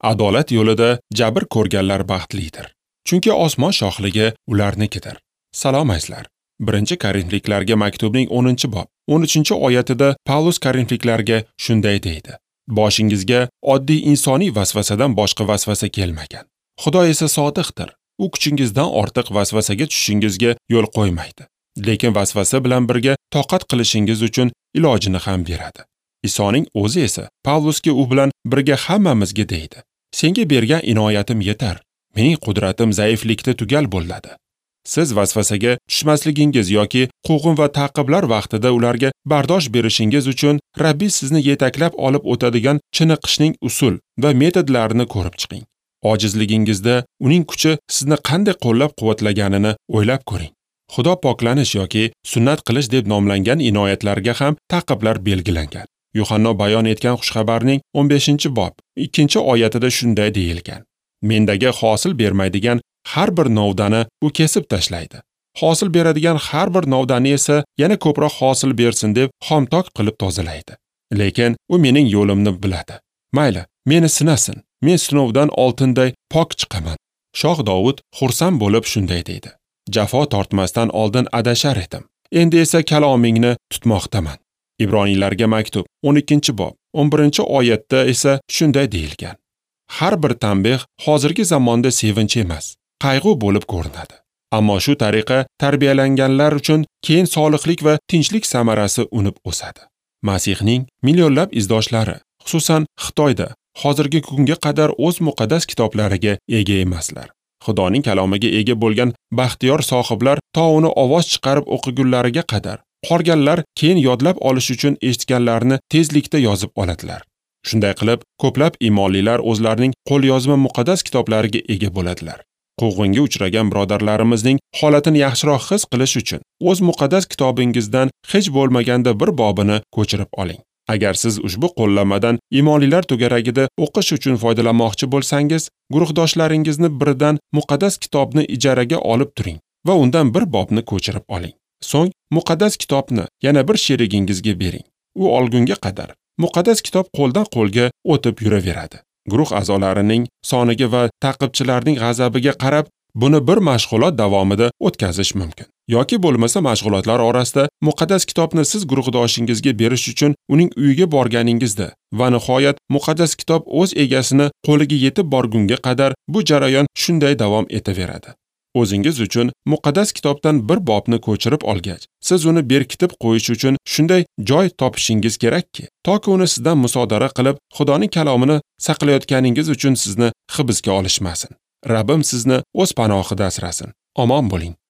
Adolat yo'lida jabr ko'rganlar baxtlidir, chunki osmon shohligi ularnikidir. Salom azizlar. 1 Korinfliklarga maktubning 10-bob 13-oyatida Pavlus Korinfliklarga shunday deydi: Boshingizga oddiy insoniy vasvasadan boshqa vasvasa kelmagan. Xudo esa sodiqdir. U kuchingizdan ortiq vasvasaga tushishingizga yo'l qo'ymaydi. Lekin vasvasa bilan birga toqat qilishingiz uchun ilojini ham beradi. Isoning o'zi esa Pavlusga u bilan birga hammamizga deydi: Senga bergan inoyatim yetar. Mening qudratim zaiflikda tugal bo'ladi. Siz vasvasaga tushmasligingiz yoki quvg'in va ta'qiblar vaqtida ularga bardosh berishingiz uchun Rabbiy sizni yetaklab olib o'tadigan chiniqishning usul va metodlarini ko'rib chiqing. Ojizligingizda uning kuchi sizni qanday qo'llab-quvvatlaganini o'ylab ko'ring. Xudo poklanish yoki sunnat qilish deb nomlangan inoyatlarga ham ta'qiblar belgilangan. Yuhanno bayon etgan xushxabarning 15-bob 2-oyatida shunday deyilgan: Mendagi hosil bermaydigan har bir novdani u kesib tashlaydi. Hosil beradigan har bir novdani esa yana ko'proq hosil bersin deb xomtok qilib tozalaydi. Lekin u mening yo'limni biladi. Mayli, meni sinasin. Men sinovdan oltinday pok chiqaman. Shoh Dovud xursand bo'lib shunday deydi: Jafo tortmasdan oldin adashar edim. Endi esa kalomingni tutmoqdaman. Ibroniylarga maktub 12-bob 11-oyatda esa shunday deyilgan: Har bir tanbeh hozirgi zamonda sevinch emas, qayg'u bo'lib ko'rinadi. Ammo shu tariqa tarbiyalanganlar uchun keyin solihlik va tinchlik samarasi unib o'sadi. Masihning millionlab izdoshlari, xususan Xitoyda, hozirgi kunga qadar o'z muqaddas kitoblariga ega emaslar. Xudoning kalomiga ega bo'lgan baxtiyor sohiblar to uni ovoz chiqarib o'qigunlariga qadar, qolganlar keyin yodlab olish uchun eshitganlarini tezlikda yozib oladilar. Shunday qilib, ko'plab iymonlilar o'zlarining qo'lyozma muqaddas kitoblariga ega bo'ladilar. Quvg'inga uchragan birodarlarimizning holatini yaxshiroq his qilish uchun o'z muqaddas kitobingizdan hech bo'lmaganda bir bobini ko'chirib oling. Agar siz ushbu qo'llanmadan iymonlilar to'garagida o'qish uchun foydalanmoqchi bo'lsangiz, guruhdoshlaringizni biridan muqaddas kitobni ijaraga olib turing va undan bir bobni ko'chirib oling. So'ng muqaddas kitobni yana bir sherigingizga bering. U olgunga qadar muqaddas kitob qo'ldan qo'lga o'tib yuraveradi. Guruh a'zolarining soniga va ta'qibchilarning g'azabiga qarab buni bir mashg'ulot davomida o'tkazish mumkin. Yoki bo'lmasa mashg'ulotlar orasida muqaddas kitobni siz guruhdoshingizga berish uchun uning uyiga borganingizda va nihoyat muqaddas kitob o'z egasini qo'liga yetib borgunga qadar bu jarayon shunday davom etaveradi. O'zingiz uchun muqaddas kitobdan bir bobni ko'chirib olgach, siz uni berkitib qo'yish uchun shunday joy topishingiz kerakki, toki uni sizdan musodara qilib, Xudoning kalomini saqlayotganingiz uchun sizni hibsga olishmasin. Rabbim sizni o'z panohida asrasin. Omon bo'ling.